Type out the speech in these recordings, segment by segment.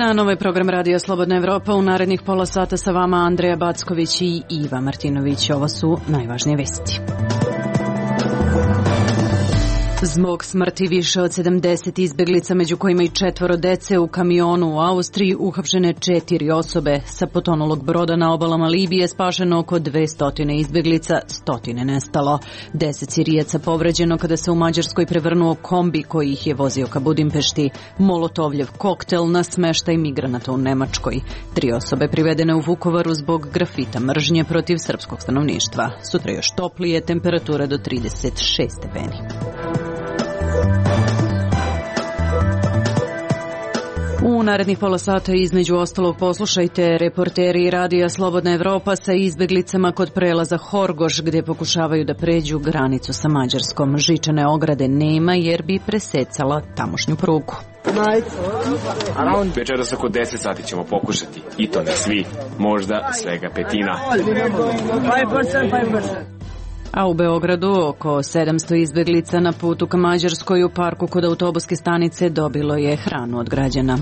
dan, ovo je program Radio Slobodna Evropa. U narednih pola sata sa vama Andreja Backović i Iva Martinović. Ovo su najvažnije vesti. Zbog smrti više od 70 izbeglica, među kojima i 4 dece u kamionu u Austriji, uhapšene 4 osobe. Sa potonulog broda na obalama Libije spašeno oko 200 izbeglica, 100 nestalo. 10 Sirijaca povređeno kada se u Mađarskoj prevrnuo kombi koji ih je vozio ka Budimpešti. Molotovljev koktel na smeštaj migranata u Nemačkoj. 3 osobe privedene u Vukovaru zbog grafita mržnje protiv srpskog stanovništva. Sutra još toplije, temperatura do 36 stepeni. U narednih pola sata između ostalog poslušajte reporteri Radija Slobodna Evropa sa izbeglicama kod prelaza Horgoš gdje pokušavaju da pređu granicu sa Mađarskom. Žičane ograde nema jer bi presecala tamošnju prugu. Večeras oko 10 sati ćemo pokušati. I to ne svi, možda svega petina. A u Beogradu oko 700 izbeglica na putu ka Mađarskoj u parku kod autobuske stanice dobilo je hranu od građana.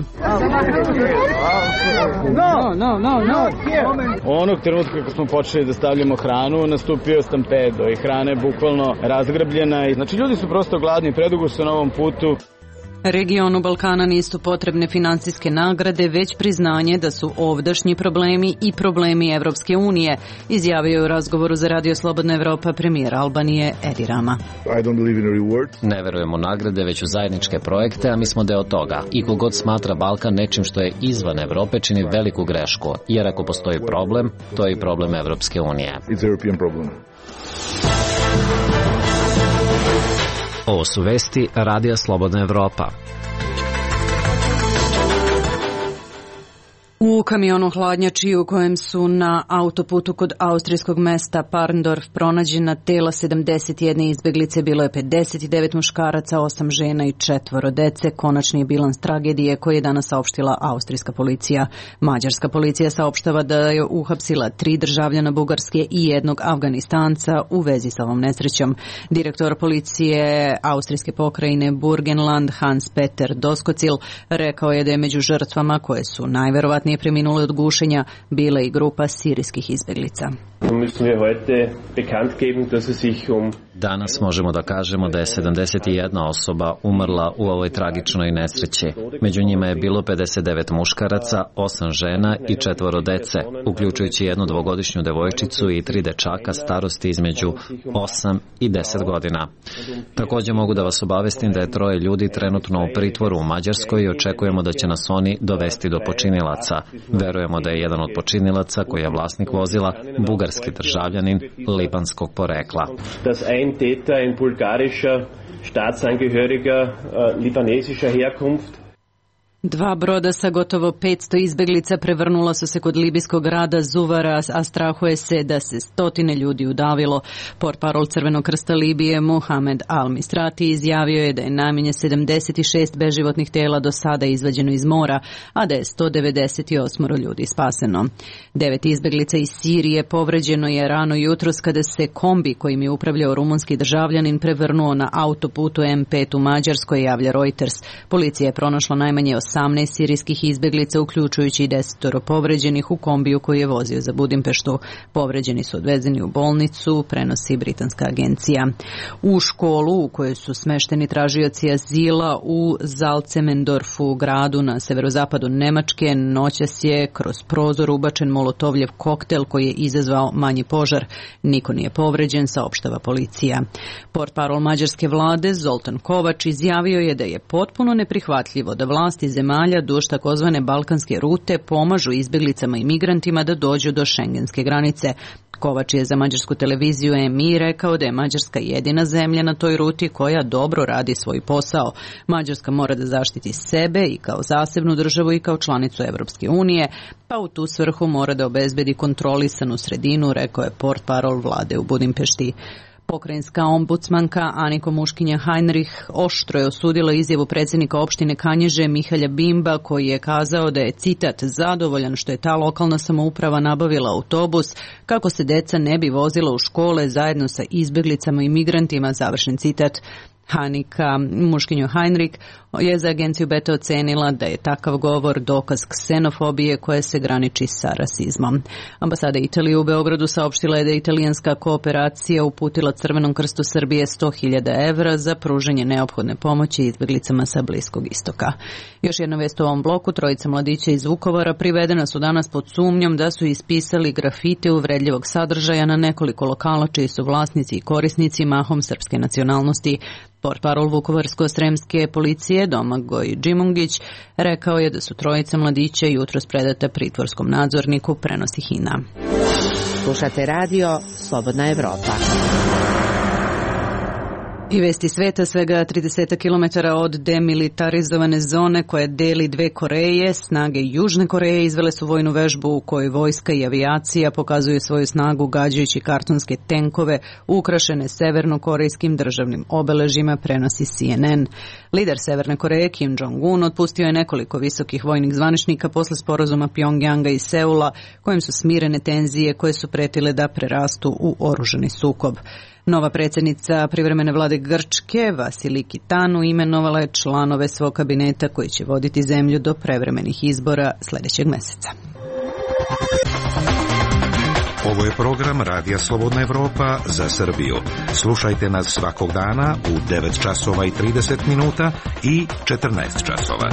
Onog trenutka kako smo počeli da stavljamo hranu, nastupio stampedo i hrana je bukvalno razgrabljena. Znači ljudi su prosto gladni, predugo su na ovom putu. Regionu Balkana nisu potrebne finansijske nagrade, već priznanje da su ovdašnji problemi i problemi Evropske unije, izjavio je u razgovoru za Radio Slobodna Evropa premijer Albanije Edi Rama. Ne verujemo nagrade, već u zajedničke projekte, a mi smo deo toga. I kogod smatra Balkan nečim što je izvan Evrope čini veliku grešku, jer ako postoji problem, to je i problem Evropske unije. Ovo su vesti Radija Slobodna Evropa. U kamionu hladnjači u kojem su na autoputu kod austrijskog mesta Parndorf pronađena tela 71 izbeglice, bilo je 59 muškaraca, 8 žena i 4 dece. Konačni je bilans tragedije koji je danas saopštila austrijska policija. Mađarska policija saopštava da je uhapsila 3 državljana Bugarske i 1 Afganistanca u vezi sa ovom nesrećom. Direktor policije austrijske pokrajine Burgenland Hans Peter Doskocil rekao je da je među žrtvama koje su najverovatnije preminule od gušenja bila i grupa sirijskih izbeglica. Danas možemo da kažemo da je 71 osoba umrla u ovoj tragičnoj nesreći. Među njima je bilo 59 muškaraca, 8 žena i 4 dece, uključujući 1 dvogodišnju devojčicu i 3 dečaka starosti između 8 i 10 godina. Također mogu da vas obavestim da je 3 ljudi trenutno u pritvoru u Mađarskoj i očekujemo da će nas oni dovesti do počinilaca. Verujemo da je jedan od počinilaca, koji je vlasnik vozila, bugarski državljanin libanskog porekla. Ein Täter, ein bulgarischer Staatsangehöriger libanesischer Herkunft. 2 broda sa gotovo 500 izbeglica prevrnula su se kod libijskog grada Zuvara, a strahuje se da se 100 ljudi udavilo. Portparol Crvenog krsta Libije Mohamed Al-Mistrati izjavio je da je najmanje 76 beživotnih tela do sada izvađeno iz mora, a da je 198 ljudi spaseno. 9 izbeglica iz Sirije povređeno je rano jutros kada se kombi kojim je upravljao rumunski državljanin prevrnuo na autoputu M5 u Mađarskoj, javlja Reuters. Policija je pronašla najmanje 18 sirijskih izbeglica, uključujući i 10 povređenih u kombiju koji je vozio za Budimpeštu. Povređeni su odvezeni u bolnicu, prenosi britanska agencija. U školu u kojoj su smešteni tražioci azila u Zalcemendorfu, gradu na severozapadu Nemačke, noćas je kroz prozor ubačen molotovljev koktel koji je izazvao manji požar. Niko nije povređen, saopštava policija. Portparol mađarske vlade Zoltan Kovač izjavio je da je potpuno neprihvatljivo da vlasti zemalja duž takozvane balkanske rute pomažu izbjeglicama i migrantima da dođu do šengenske granice. Kovač je za mađarsku televiziju EMI rekao da je Mađarska jedina zemlja na toj ruti koja dobro radi svoj posao. Mađarska mora da zaštiti sebe i kao zasebnu državu i kao članicu Evropske unije, pa u tu svrhu mora da obezbedi kontrolisanu sredinu, rekao je portparol vlade u Budimpešti. Pokrajinska ombudsmanka Aniko Muškinja Heinrich oštro je osudila izjavu predsjednika opštine Kanjiže Mihalja Bimba, koji je kazao da je, citat, zadovoljan što je ta lokalna samouprava nabavila autobus kako se deca ne bi vozila u škole zajedno sa izbjeglicama i migrantima, završen citat. Hanika Muškinju Heinrich je za agenciju Beta ocenila da je takav govor dokaz ksenofobije koja se graniči sa rasizmom. Ambasada Italije u Beogradu saopštila je da je italijanska kooperacija uputila Crvenom krstu Srbije 100.000 evra za pružanje neophodne pomoći izbjeglicama sa Bliskog istoka. Još jedna vest u ovom bloku, trojica mladića iz Vukovara privedena su danas pod sumnjom da su ispisali grafite uvredljivog sadržaja na nekoliko lokala čiji su vlasnici i korisnici mahom srpske nacionalnosti. Portparol Vukovarsko-sremske policije Domagoj Džimungić rekao je da su trojica mladića jutros predata pritvorskom nadzorniku, prenosi HINA. Slušate radio Slobodna Evropa. I vesti sveta, svega 30 km od demilitarizovane zone koja deli dve Koreje, snage Južne Koreje izvele su vojnu vežbu u kojoj vojska i avijacija pokazuju svoju snagu gađajući kartonske tenkove ukrašene severnokorejskim državnim obeležjima, prenosi CNN. Lider Severne Koreje Kim Jong-un otpustio je nekoliko visokih vojnih zvaničnika posle sporazuma Pjongjanga i Seula kojim su smirene tenzije koje su pretile da prerastu u oružani sukob. Nova predsjednica privremene vlade Grčke, Vasiliki Tanu, imenovala je članove svog kabineta koji će voditi zemlju do prevremenih izbora sljedećeg mjeseca. Ovo je program Radija Slobodna Evropa za Srbiju. Slušajte nas svakog dana u 9 časova i 30 minuta i 14 časova.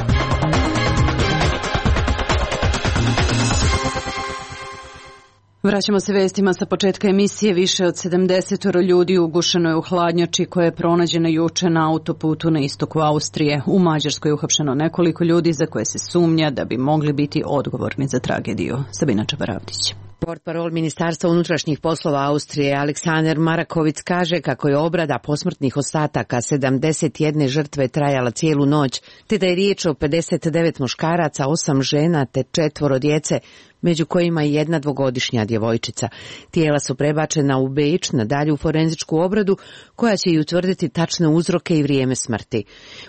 Vraćamo se vestima sa početka emisije. Više od 70 ljudi ugušeno je u hladnjači koja je pronađena juče na autoputu na istoku Austrije. U Mađarskoj je uhapšeno nekoliko ljudi za koje se sumnja da bi mogli biti odgovorni za tragediju. Sabina Čabaravdić. Portparol Ministarstva unutrašnjih poslova Austrije Aleksandar Marakovic kaže kako je obrada posmrtnih ostataka 71 žrtve trajala cijelu noć, te da je riječ o 59 muškaraca, 8 žena te 4 djece, među kojima i jedna 2-godišnja djevojčica. Tijela su prebačena u Beč na dalju forenzičku obradu koja će i utvrditi tačne uzroke i vrijeme smrti.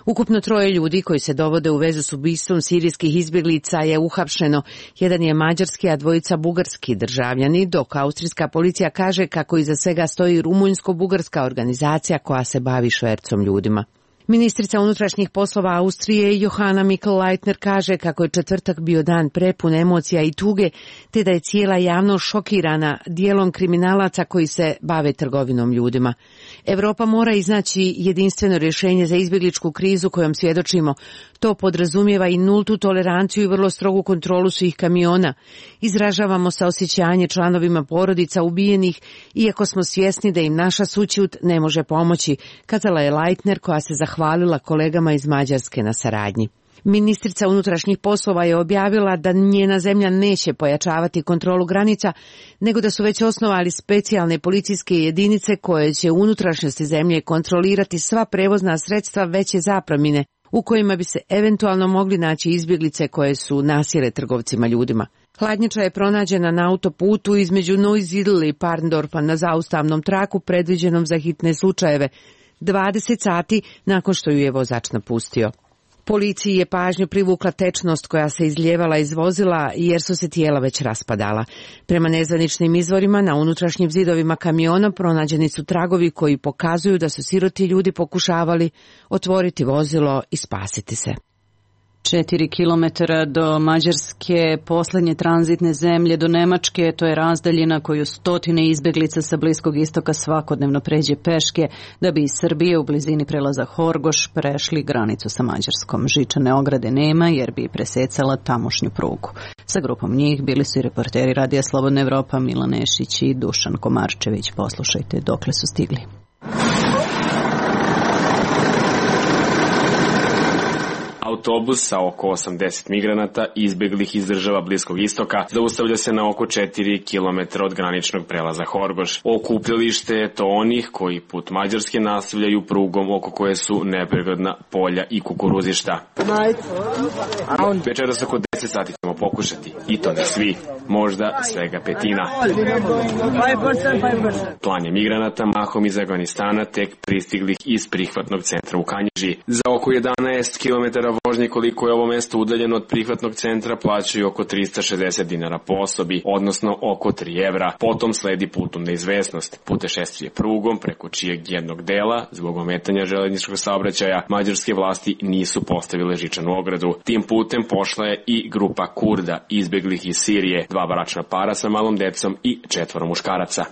Ukupno 3 ljudi koji se dovode u vezu s ubistvom sirijskih izbjeglica je uhapšeno. Jedan je mađarski, a 2 bugarski državljani, dok austrijska policija kaže kako iza svega stoji rumunjsko-bugarska organizacija koja se bavi švercom ljudima. Ministrica unutrašnjih poslova Austrije Johanna Mikl-Leitner kaže kako je četvrtak bio dan prepun emocija i tuge, te da je cijela javnost šokirana dijelom kriminalaca koji se bave trgovinom ljudima. Europa mora iznaći jedinstveno rješenje za izbjegličku krizu kojom svjedočimo. To podrazumijeva i nultu toleranciju i vrlo strogu kontrolu svih kamiona. Izražavamo saosjećanje članovima porodica ubijenih, iako smo svjesni da im naša sućut ne može pomoći, kazala je Leitner koja se zahvalila kolegama iz Mađarske na saradnji. Ministrica unutrašnjih poslova je objavila da njena zemlja neće pojačavati kontrolu granica, nego da su već osnovali specijalne policijske jedinice koje će u unutrašnjosti zemlje kontrolirati sva prevozna sredstva veće zapremine, u kojima bi se eventualno mogli naći izbjeglice koje su nasjele trgovcima ljudima. Hladnjača je pronađena na autoputu između Neusiedl i Parndorfa na zaustavnom traku predviđenom za hitne slučajeve, 20 sati nakon što ju je vozač napustio. Policiji je pažnju privukla tečnost koja se izlijevala iz vozila jer su se tijela već raspadala. Prema nezvaničnim izvorima na unutrašnjim zidovima kamiona pronađeni su tragovi koji pokazuju da su siroti ljudi pokušavali otvoriti vozilo i spasiti se. 4 kilometara do Mađarske, posljednje tranzitne zemlje do Nemačke, to je razdaljina koju stotine izbjeglica sa Bliskog istoka svakodnevno pređe peške da bi iz Srbije u blizini prelaza Horgoš prešli granicu sa Mađarskom. Žičane ograde nema jer bi presecala tamošnju prugu. Sa grupom njih bili su i reporteri Radija Slobodna Evropa Milan Nešić i Dušan Komarčević. Poslušajte dokle su stigli. Autobus sa oko 80 migranata izbjeglih iz država Bliskog istoka zaustavlja se na oko 4 km od graničnog prelaza Horgoš. Okupljalište je to onih koji put Mađarske nastavljaju prugom oko koje su nepregledna polja i kukuruzišta. Večeras oko 10 sati ćemo pokušati, i to ne svi, možda svega petina. Klanje migranata mahom iz Afganistana tek pristiglih iz prihvatnog centra u Kanjiži. Za oko 11 km Vožnje koliko je ovo mesto udaljeno od prihvatnog centra plaćaju oko 360 dinara po osobi, odnosno oko 3 evra. Potom sledi put u neizvesnost, putešestvije prugom preko čijeg jednog dela, zbog ometanja železničkog saobraćaja, mađarske vlasti nisu postavile žičanu ogradu. Tim putem pošla je i grupa Kurda, izbeglih iz Sirije, 2 bračna para sa malom decom i 4 muškaraca.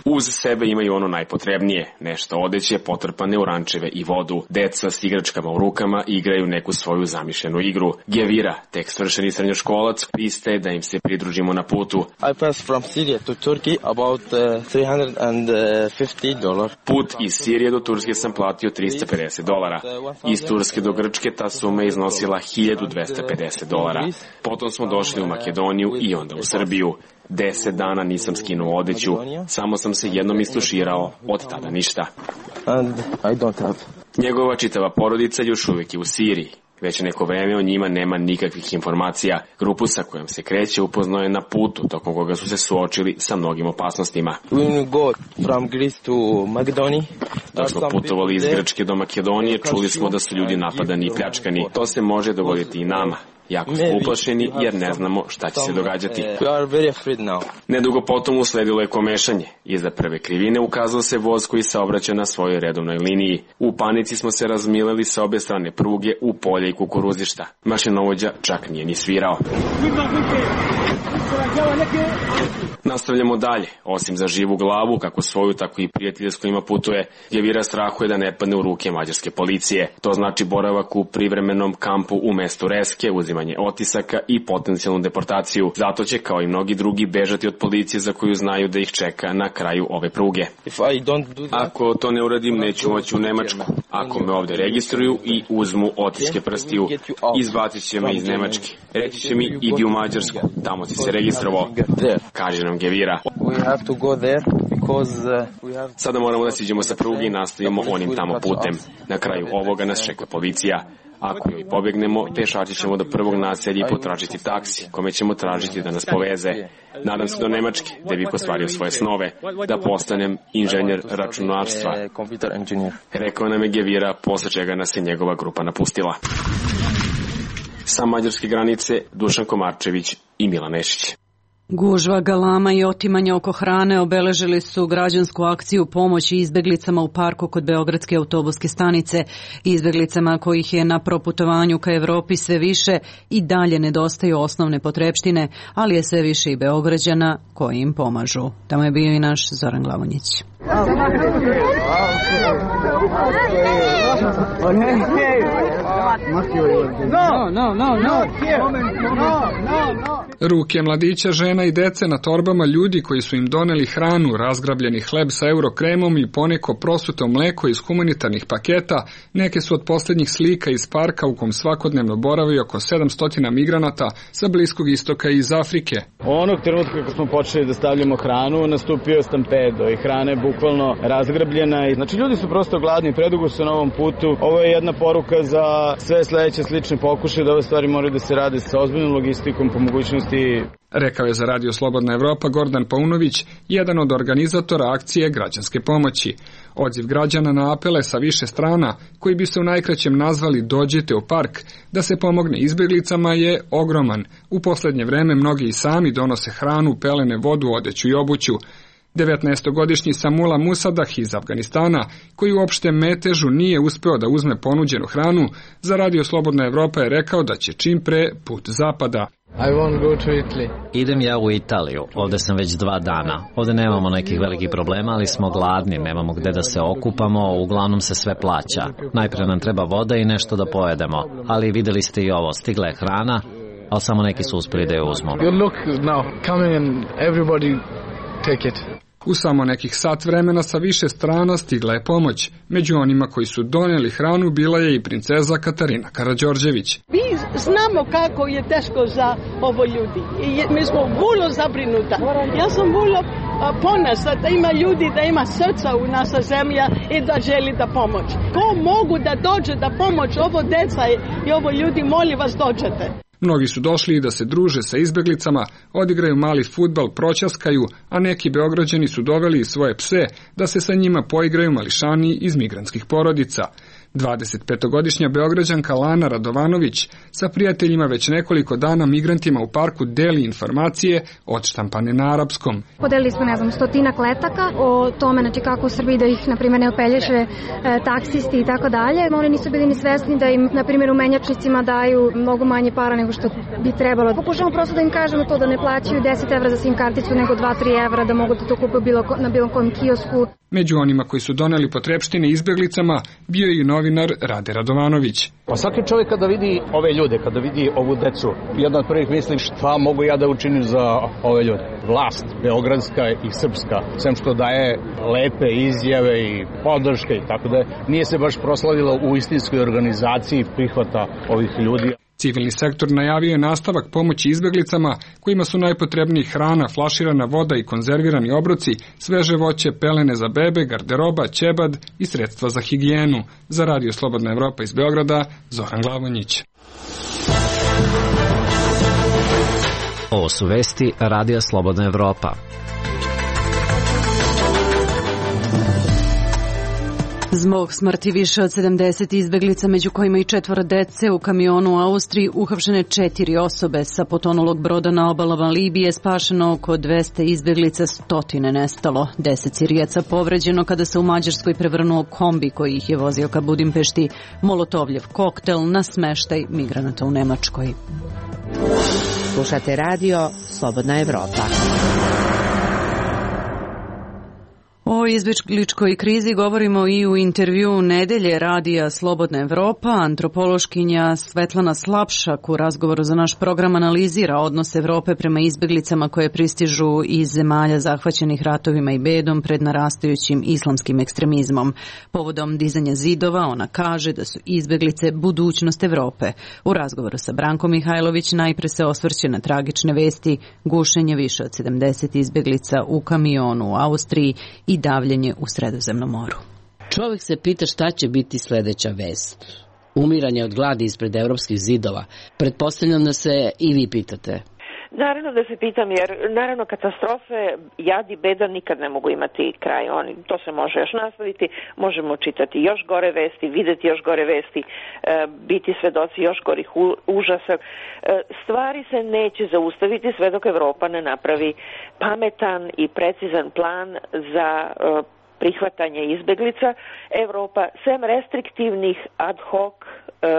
Uz sebe imaju ono najpotrebnije, nešto odeće potrpane u rančeve i vodu. Deca s igračkama u rukama igraju neku svoju zamišljenu igru. Gevira, tek svršeni srednjoškolac, pristaje da im se pridružimo na putu. I passed from Syria to Turkey about $350. Put iz Sirije do Turske sam platio $350. Iz Turske do Grčke ta suma je iznosila $1250. Potom smo došli u Makedoniju i onda u Srbiju. 10 dana nisam skinuo odeću, samo sam se jednom istuširao, od tada ništa. Njegova čitava porodica još uvijek je u Siriji. Već neko vreme o njima nema nikakvih informacija. Grupu sa kojom se kreće upoznao je na putu, tokom koga su se suočili sa mnogim opasnostima. Dok smo putovali iz Grčke do Makedonije, čuli smo da su ljudi napadani i pljačkani. To se može dogoditi i nama. Jako smo uplašeni jer ne znamo šta će se događati. Nedugo potom usledilo je komešanje. Iza prve krivine ukazao se voz koji saobraća na svojoj redovnoj liniji. U panici smo se razmileli sa obe strane pruge u polje i kukuruzišta. Mašinovođa čak nije ni svirao. Nastavljamo dalje. Osim za živu glavu, kako svoju, tako i prijatelje s kojima putuje, Gevira strahuje da ne padne u ruke mađarske policije. To znači boravak u privremenom kampu u mestu Reske, uzimanje otisaka i potencijalnu deportaciju. Zato će, kao i mnogi drugi, bežati od policije za koju znaju da ih čeka na kraju ove pruge. Ako to ne uradim, neću moći u Nemačku. Ako me ovde registruju i uzmu otiske prstiju, izbacit će me iz Nemačke. Reći će mi, idi u Mađarsku, tamo si se registrovao, kaže nam Gevira. Sada moramo da siđemo sa pruge i nastavimo onim tamo putem. Na kraju ovoga nas čeka policija. Ako joj pobegnemo, pešači ćemo do prvog naselja i potražiti taksi, kome ćemo tražiti da nas poveze. Nadam se do Nemačke, gde bih ostvario svoje snove, da postanem inženjer računarstva. Rekao nam je Gevira, posle čega nas je njegova grupa napustila. Sa mađarske granice, Dušan Komarčević i Milan Nešić. Gužva, galama i otimanja oko hrane obeležili su građansku akciju pomoći izbeglicama u parku kod Beogradske autobuske stanice. Izbeglicama kojih je na proputovanju ka Evropi sve više i dalje nedostaju osnovne potrepštine, ali je sve više i Beograđana koji im pomažu. Tamo je bio i naš Zoran Glavonjić. Ruke mladića, žena i dece na torbama, ljudi koji su im doneli hranu, razgrabljeni hleb sa eurokremom i poneko prosuto mleko iz humanitarnih paketa, neke su od posljednjih slika iz parka u kom svakodnevno boravi oko 700 migranata sa Bliskog istoka i iz Afrike. Onog trenutka kako smo počeli da stavljamo hranu, nastupio stampedo i hrana je bukvalno razgrabljena. Znači ljudi su prosto gladni, predugo su na ovom putu. Ovo je jedna poruka za sve sledeće slične pokušaje da ove stvari moraju da se rade sa ozbiljnom logistikom po mogućnosti. Rekao je za Radio Slobodna Evropa Gordan Paunović, jedan od organizatora akcije građanske pomoći. Odziv građana na apele sa više strana, koji bi se u najkraćem nazvali Dođite u park, da se pomogne izbjeglicama, je ogroman. U poslednje vreme mnogi i sami donose hranu, pelene, vodu, odeću i obuću. 19-godišnji Samula Musadah iz Afganistana, koji uopšte metežu nije uspeo da uzme ponuđenu hranu, za Radio Slobodna Evropa je rekao da će čim pre put zapada. Idem ja u Italiju, ovde sam već 2 dana. Ovde nemamo nekih velikih problema, ali smo gladni, nemamo gde da se okupamo, uglavnom se sve plaća. Najpre nam treba voda i nešto da pojedemo, ali videli ste i ovo, stigla je hrana, ali samo neki su uspeli da je uzmu. U samo nekih sat vremena sa više strana stigla je pomoć. Među onima koji su doneli hranu bila je i princeza Katarina Karađorđević. Mi znamo kako je teško za ovo ljudi. I mi smo vrlo zabrinuta. Ja sam vrlo ponosna da ima ljudi, da ima srca u naša zemlja i da želi da pomoć. Ko mogu da dođe da pomoć ovo deca i ovo ljudi, molim vas dođete. Mnogi su došli i da se druže sa izbeglicama, odigraju mali fudbal, proćaskaju, a neki Beograđani su doveli i svoje pse da se sa njima poigraju mališani iz migrantskih porodica. 25-godišnja Beograđanka Lana Radovanović sa prijateljima već nekoliko dana migrantima u parku deli informacije odštampane na arapskom. Podelili smo, 100 letaka o tome, kako u Srbiji da ih, na primjer, ne opelješe taksisti i tako dalje. Oni nisu bili ni svesni da im, na primjer, u menjačnicima daju mnogo manje para nego što bi trebalo. Pokušamo prosto da im kažemo to da ne plaćaju 10 evra za SIM karticu, nego 2-3 evra, da mogu da to kupe na bilo kojem kiosku. Među onima koji su doneli potrepštine izbeglicama bio je i novinar Rade Radovanović. Pa svaki čovjek kada vidi ove ljude, kada vidi ovu decu, jedna od prvih misli šta mogu ja da učinim za ove ljude. Vlast, beogradska i srpska, sem što daje lepe izjave i podrške i tako da nije se baš proslavilo u istinskoj organizaciji prihvata ovih ljudi. Civilni sektor najavio je nastavak pomoći izbeglicama kojima su najpotrebniji hrana, flaširana voda i konzervirani obroci, sveže voće, pelene za bebe, garderoba, ćebad i sredstva za higijenu. Za Radio Slobodna Evropa iz Beograda, Zoran Glavonjić. Ovo su vesti Radija Slobodna Evropa. Zbog smrti više od 70 izbeglica, među kojima i 4 dece, u kamionu u Austriji uhapšene 4 osobe. Sa potonulog broda na obalama Libije spašeno oko 200 izbeglica, 100 nestalo. 10 Sirijaca povređeno kada se u Mađarskoj prevrnuo kombi koji ih je vozio ka Budimpešti. Molotovljev koktel na smeštaj migranata u Nemačkoj. Slušate radio Slobodna Evropa. O izbegličkoj krizi govorimo i u intervju nedelje Radija Slobodna Evropa. Antropološkinja Svetlana Slapšak u razgovoru za naš program analizira odnos Evrope prema izbeglicama koje pristižu iz zemalja zahvaćenih ratovima i bedom pred narastajućim islamskim ekstremizmom. Povodom dizanja zidova ona kaže da su izbeglice budućnost Evrope. U razgovoru sa Brankom Mihajlović najpre se osvrće na tragične vesti, gušenje više od 70 izbeglica u kamionu u Austriji i davljenje u Sredozemnom moru. Čovjek se pita šta će biti sljedeća vest. Umiranje od gladi ispred evropskih zidova. Pretpostavljam da se i vi pitate. Naravno da se pitam, jer naravno katastrofe, jad i beda nikad ne mogu imati kraj. To se može još nastaviti, možemo čitati još gore vesti, vidjeti još gore vesti, biti svedoci još gorih užasa. Stvari se neće zaustaviti sve dok Evropa ne napravi pametan i precizan plan za prihvatanje izbeglica. Evropa, sem restriktivnih ad hoc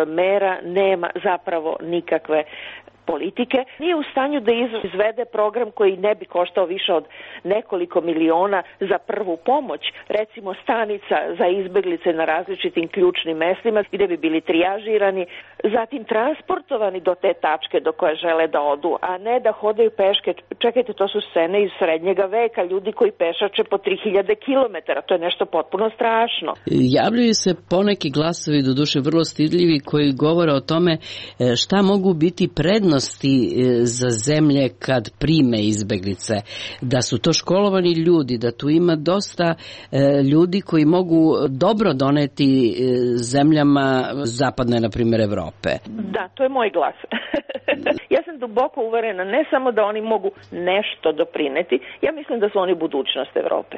mera, nema zapravo nikakve politike. Nije u stanju da izvede program koji ne bi koštao više od nekoliko miliona za prvu pomoć, recimo stanica za izbeglice na različitim ključnim mestima gdje bi bili trijažirani, zatim transportovani do te tačke do koje žele da odu, a ne da hodaju peške. Čekajte, to su scene iz srednjega veka, ljudi koji pešače po 3000 km, to je nešto potpuno strašno. Javljaju se poneki glasovi, doduše vrlo stidljivi, koji govore o tome šta mogu biti prednosti za zemlje kad prime izbeglice, da su to školovani ljudi, da tu ima dosta ljudi koji mogu dobro doneti zemljama zapadne, na primjer, Evrope. Da, to je moj glas. Ja sam duboko uverena, ne samo da oni mogu nešto doprineti, ja mislim da su oni budućnost Evrope.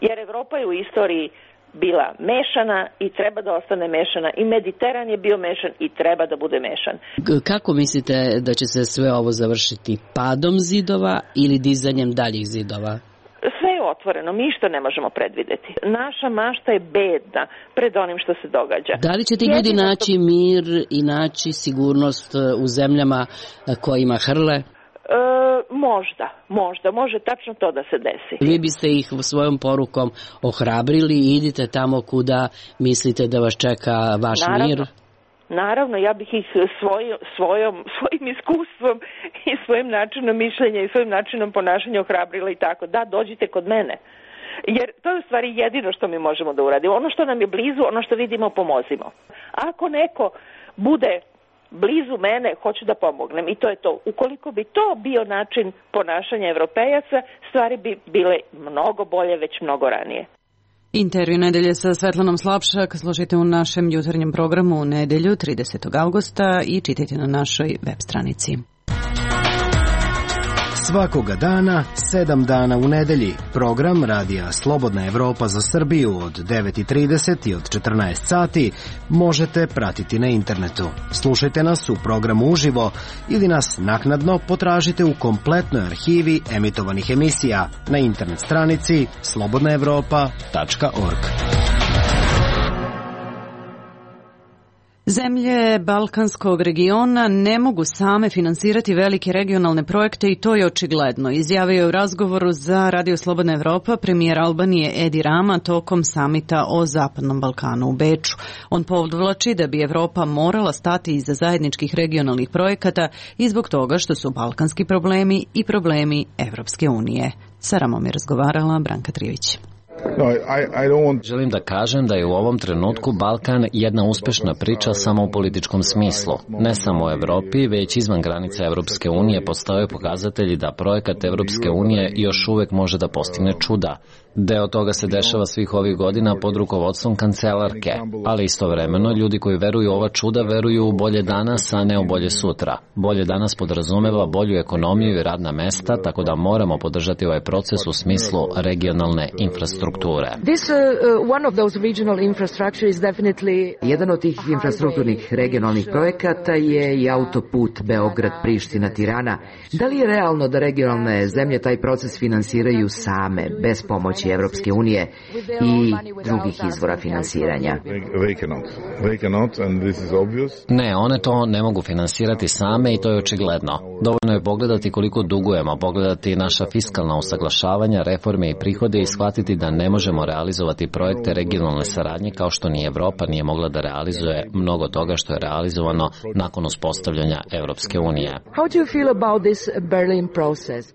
Jer Evropa je u istoriji bila mešana i treba da ostane mešana, i Mediteran je bio mešan i treba da bude mešan. Kako mislite da će se sve ovo završiti? Padom zidova ili dizanjem daljih zidova? Sve je otvoreno, mi što ne možemo predvideti. Naša mašta je bedna pred onim što se događa. Da li će ti ljudi naći mir i naći sigurnost u zemljama kojima hrle? Možda, može tačno to da se desi. Vi biste ih svojom porukom ohrabrili i idite tamo kuda mislite da vas čeka vaš mir? Naravno, ja bih ih svojim iskustvom i svojim načinom mišljenja i svojim načinom ponašanja ohrabrila i tako. Da, dođite kod mene. Jer to je u stvari jedino što mi možemo da uradimo. Ono što nam je blizu, ono što vidimo, pomozimo. Ako neko bude blizu mene, hoću da pomognem, i to je to. Ukoliko bi to bio način ponašanja Evropejaca, stvari bi bile mnogo bolje već mnogo ranije. Intervju nedelje sa Svetlanom Slapšak slušajte u našem jutarnjem programu u nedelju 30. augusta i čitajte na našoj web stranici. Svakoga dana, 7 dana u nedelji. Program Radija Slobodna Evropa za Srbiju od 9:30 i od 14 sati možete pratiti na internetu. Slušajte nas u programu uživo ili nas naknadno potražite u kompletnoj arhivi emitovanih emisija na internet stranici slobodnaevropa.org. Zemlje Balkanskog regiona ne mogu same finansirati velike regionalne projekte i to je očigledno. Izjavio je u razgovoru za Radio Slobodna Evropa premijer Albanije Edi Rama tokom samita o Zapadnom Balkanu u Beču. On podvlači da bi Evropa morala stati iza zajedničkih regionalnih projekata i zbog toga što su balkanski problemi i problemi Evropske unije. Sa Ramom je razgovarala Branka Trivić. Želim da kažem da je u ovom trenutku Balkan jedna uspešna priča samo u političkom smislu. Ne samo u Evropi, već izvan granica Evropske unije postoje pokazatelji da projekat Evropske unije još uvek može da postigne čuda. Deo toga se dešava svih ovih godina pod rukovodstvom kancelarke, ali istovremeno ljudi koji veruju u ova čuda veruju u bolje danas, a ne u bolje sutra. Bolje danas podrazumeva bolju ekonomiju i radna mesta, tako da moramo podržati ovaj proces u smislu regionalne infrastrukture. Jedan od tih infrastrukturnih regionalnih projekata je i autoput Beograd-Priština-Tirana. Da li je realno da regionalne zemlje taj proces finansiraju same, bez pomoći Evropske unije i drugih izvora finansiranja? Ne, one to ne mogu finansirati same i to je očigledno. Dovoljno je pogledati koliko dugujemo, pogledati naša fiskalna usaglašavanja, reforme i prihode i shvatiti da ne možemo realizovati projekte regionalne saradnje kao što ni Evropa nije mogla da realizuje mnogo toga što je realizovano nakon uspostavljanja Evropske unije.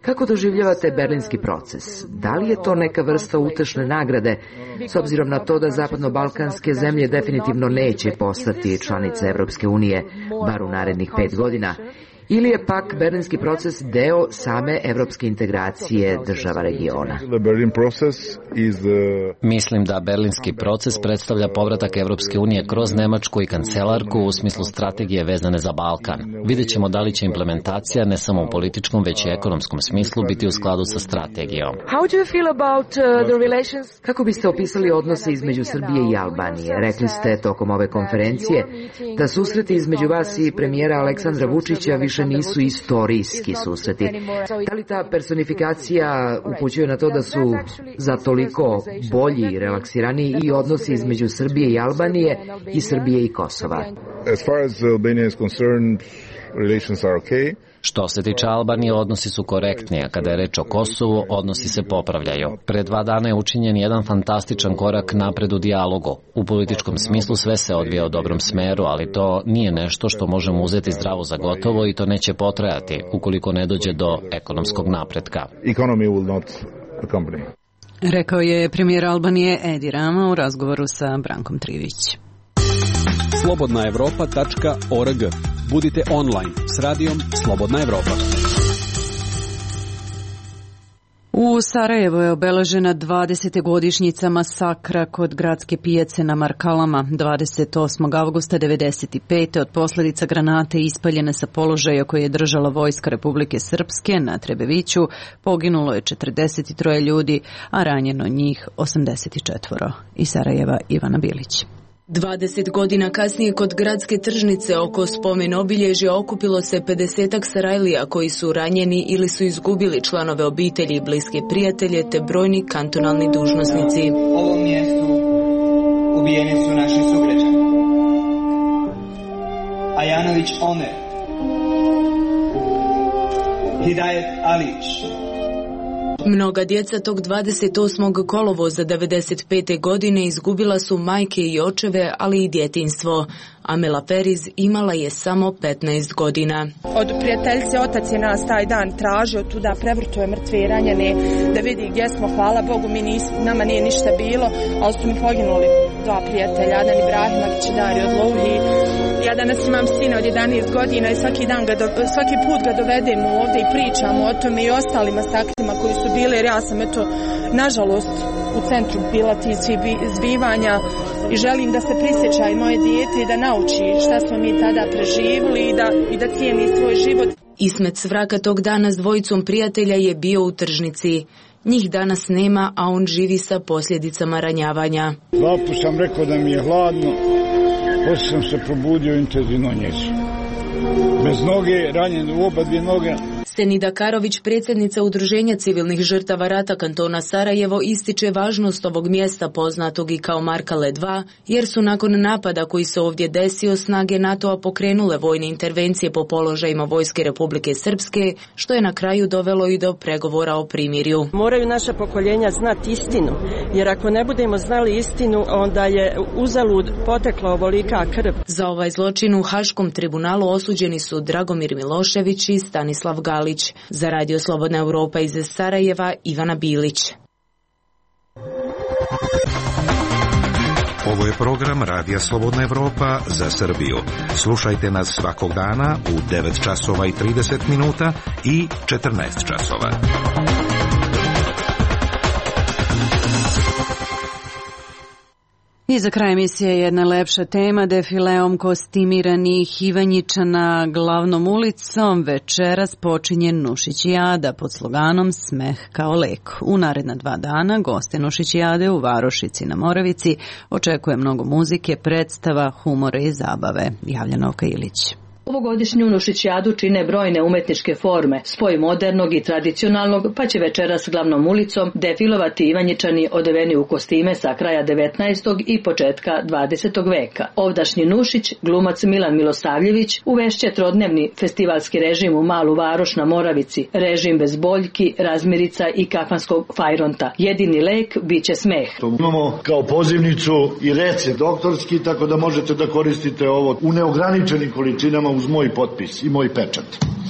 Kako doživljavate berlinski proces? Da li je to neka vrsta utešne nagrade, s obzirom na to da zapadno-balkanske zemlje definitivno neće postati članice Evropske unije, bar u narednih 5 godina? Ili je pak berlinski proces deo same evropske integracije država regiona? Mislim da berlinski proces predstavlja povratak Evropske unije kroz Nemačku i kancelarku u smislu strategije vezane za Balkan. Vidjet ćemo da li će implementacija ne samo u političkom, već i ekonomskom smislu biti u skladu sa strategijom. Kako biste opisali odnose između Srbije i Albanije? Rekli ste tokom ove konferencije da susreti između vas i premijera Aleksandra Vučića više nisu istorijski susreti. Da li ta personifikacija upućuje na to da su za toliko bolji i relaksiraniji i odnosi između Srbije i Albanije i Srbije i Kosova? As far as Albania is concerned, relations are okay. Što se tiče Albanije, odnosi su korektni, a kada je reč o Kosovu, odnosi se popravljaju. Pre 2 dana je učinjen jedan fantastičan korak napred u dijalogu. U političkom smislu sve se odvija u dobrom smeru, ali to nije nešto što možemo uzeti zdravo za gotovo i to neće potrajati ukoliko ne dođe do ekonomskog napretka. Rekao je premijer Albanije Edi Rama u razgovoru sa Brankom Trivić. slobodnaevropa.org. Budite online s radijom Slobodna Evropa. U Sarajevu je obeležena 20. godišnjica masakra kod gradske pijace na Markalama 28. avgusta 1995. od posljedica granate ispaljene sa položaja koje je držala vojska Republike Srpske na Trebeviću poginulo je 43 ljudi, a ranjeno njih 84. Iz Sarajeva Ivana Bilić. 20 godina kasnije kod gradske tržnice oko spomen obilježja okupilo se 50-ak Sarajlija koji su ranjeni ili su izgubili članove obitelji i bliske prijatelje te brojni kantonalni dužnosnici. U ovom mjestu ubijeni su naši sugrađani. Ajanović Omer, Hidajet Alić. Mnoga djeca tog 28. kolovoza 95. godine izgubila su majke i očeve, ali i djetinjstvo. Amela Periz imala je samo 15 godina. Od prijateljice otac je nas taj dan tražio tuda, prevrtuje mrtve i ranjene, da vidi gdje smo, hvala Bogu, nama nije ništa bilo, ali su mi poginuli. dva prijatelja, Adan Ibrahimović i Dario Odlouhi. Ja danas imam sina od 11 godina i svaki put ga dovedemo ovdje i pričamo o tome i ostalim astaktima koji su bile, jer ja sam nažalost u centru bila tih zbivanja i želim da se prisjeća i moje dijete i da nauči šta smo mi tada preživjeli i da cijeni svoj život. Ismet Svraka tog dana s dvojicom prijatelja je bio u tržnici. Njih danas nema, a on živi sa posljedicama ranjavanja. Dva put sam rekao da mi je hladno, poslije sam se probudio intenzivno njeću. Bez noge, ranjen u oba dvije noge. Senida Karović, predsjednica Udruženja civilnih žrtava rata kantona Sarajevo, ističe važnost ovog mjesta poznatog i kao Markale 2, jer su nakon napada koji se ovdje desio snage NATO-a pokrenule vojne intervencije po položajima Vojske Republike Srpske, što je na kraju dovelo i do pregovora o primirju. Moraju naša pokoljenja znati istinu, jer ako ne budemo znali istinu, onda je uzalud potekla ovolika krv. Za ovaj zločin u Haškom tribunalu osuđeni su Dragomir Milošević i Stanislav Galić. Za Radio Slobodna Evropa iz Sarajeva, Ivana Bilić. Ovo je program Radija Slobodna Evropa za Srbiju. Slušajte nas svakog dana u 9 časova i 30 minuta i 14 časova. I za kraj emisije jedna lepša tema, defileom kostimiranih Ivanjičana glavnom ulicom večeras počinje Nušićijada pod sloganom Smeh kao lek. U naredna 2 dana goste Nušićijade u Varošici na Moravici očekuje mnogo muzike, predstava, humora i zabave. Javlja Novka Ilić. Ovogodišnju Nušićijadu čine brojne umetničke forme, spoj modernog i tradicionalnog, pa će večeras glavnom ulicom defilovati Ivanjičani odeveni u kostime sa kraja 19. i početka 20. veka. Ovdašnji Nušić, glumac Milan Milosavljević, uvešće trodnevni festivalski režim u Malu Varoš na Moravici, režim bez boljki, razmirica i kafanskog fajronta. Jedini lek biće smeh. Imamo kao pozivnicu i recept doktorski, tako da možete da koristite ovo u neograničenim količinama uz moj potpis i moj pečat.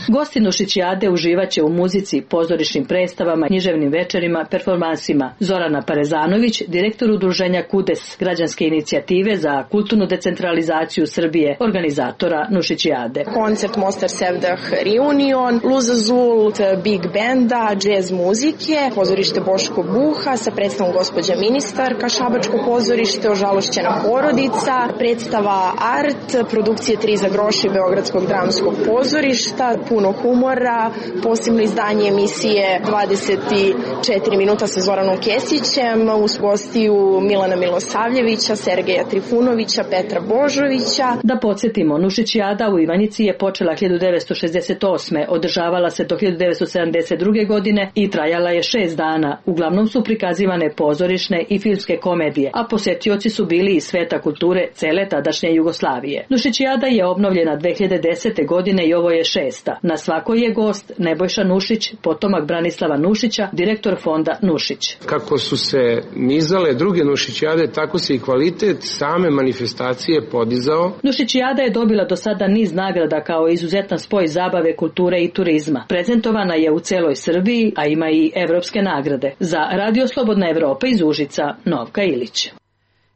Gosti Nušićijade uživaće u muzici, pozorišnim predstavama, književnim večerima, performansima. Zorana Parezanović, direktor udruženja KUDES, građanske inicijative za kulturnu decentralizaciju Srbije, organizatora Nušićijade. Koncert Mostar Sevdah Reunion, Luza Zult, Big Benda, jazz muzike, pozorište Boško Buha sa predstavom gospođa ministarka, Šabačko pozorište, Ožalošćena porodica, predstava Art, produkcije 3 za groši Beogradskog dramskog pozorišta, puno humora, posebno izdanje emisije 24 minuta sa Zoranom Kesićem, uz gostiju Milana Milosavljevića, Sergeja Trifunovića, Petra Božovića. Da podsjetimo, Nušićijada u Ivanjici je počela 1968. Održavala se do 1972. godine i trajala je 6 dana. Uglavnom su prikazivane pozorišne i filmske komedije, a posetioci su bili iz sveta kulture cele tadašnje Jugoslavije. Nušićijada je obnovljena 2010. godine i ovo je 6. Na svakoj je gost Nebojša Nušić, potomak Branislava Nušića, direktor fonda Nušić. Kako su se nizale druge Nušićijade, tako se i kvalitet same manifestacije podizao. Nušićijada je dobila do sada niz nagrada kao izuzetan spoj zabave, kulture i turizma. Prezentovana je u celoj Srbiji, a ima i evropske nagrade. Za Radio Slobodna Evropa iz Užica, Novka Ilić.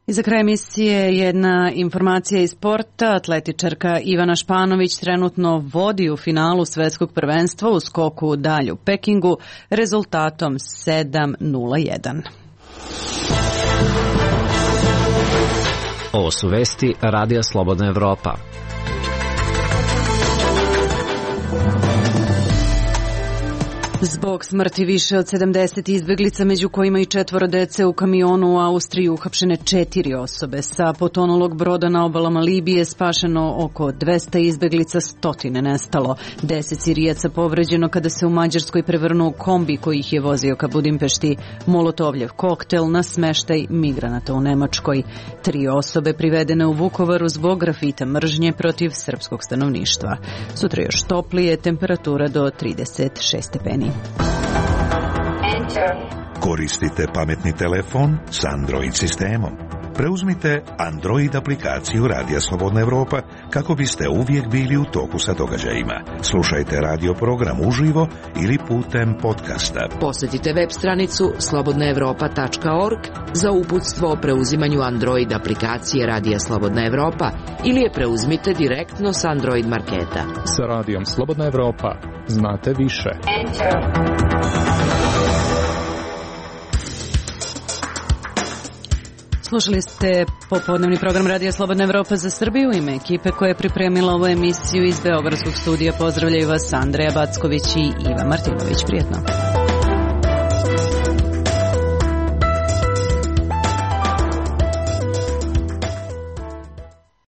I za kraj emisije jedna informacija iz sporta. Atletičarka Ivana Španović trenutno vodi u finalu svetskog prvenstva u skoku u dalj u Pekingu rezultatom 7:01. Ovo su vesti Radija Slobodna Evropa. Zbog smrti više od 70 izbeglica, među kojima i 4 dece u kamionu u Austriji, uhapšene 4 osobe. Sa potonulog broda na obalama Libije spašeno oko 200 izbeglica, 100 nestalo. 10 Sirijaca povređeno kada se u Mađarskoj prevrnuo kombi koji ih je vozio ka Budimpešti. Molotovljev koktel na smeštaj migranata u Nemačkoj. 3 osobe privedene u Vukovaru zbog grafita mržnje protiv srpskog stanovništva. Sutra još toplije, temperatura do 36 stepeni. Koristite pametni telefon s Android sistemom. preuzmite Android aplikaciju Radija Slobodna Evropa kako biste uvijek bili u toku sa događajima. Slušajte radio program uživo ili putem podcasta. Posjetite web stranicu slobodnaevropa.org za uputstvo o preuzimanju Android aplikacije Radija Slobodna Evropa ili je preuzmite direktno s Android marketa. Sa Radijom Slobodna Evropa znate više. Slušali ste popodnevni program Radija Slobodna Evropa za Srbiju. Ime ekipe koja je pripremila ovu emisiju iz Beogradskog studija. Pozdravljaju vas Andreja Backović i Iva Martinović. Prijetno.